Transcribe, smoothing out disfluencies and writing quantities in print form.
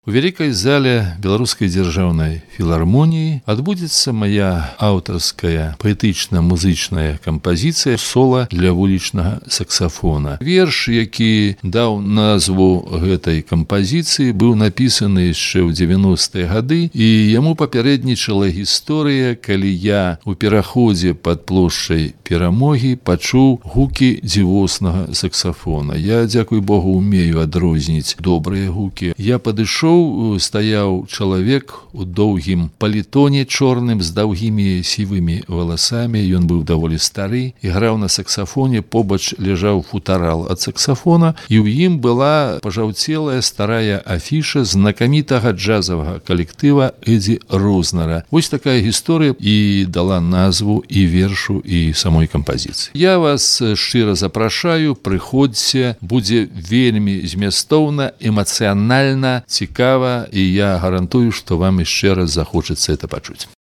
У вялікай зале беларускай дзяржаўнай філармоніі адбудзецца моя аўтарская паэтычна-музычная кампазіцыя сола для вулічнага саксафона. Верш, які даў назву гэтай кампазіцыі, быў напісаны яшчэ ў 90-е гады, і яму папярэднічала гісторыя, калі я у пераходзе пад плошчай Перамогі пачуў гукі дзівоснага саксафона. Я, дзякуй Богу, умею адрозніць добрыя гукі. Я падышоў, стаяў чалавек у доўгім палітоне чорным з даўгімі сівымі валасамі. Ён быў даволі стары і граў на саксафоне. Побач ляжаў футарал ад саксафона, і ў ім была пажаўцелая старая афіша знакамітага джазавага калектыва Эдзі Рознера. Вось такая гісторыя і дала назву і вершу, і самой кампазіцыі. Я вас шчыра запрашаю, прыходзьце, будзе вельмі змястоўна, эмацыянальна, цікава, і я гарантую, што вам яшчэ раз захочацца это пачуць.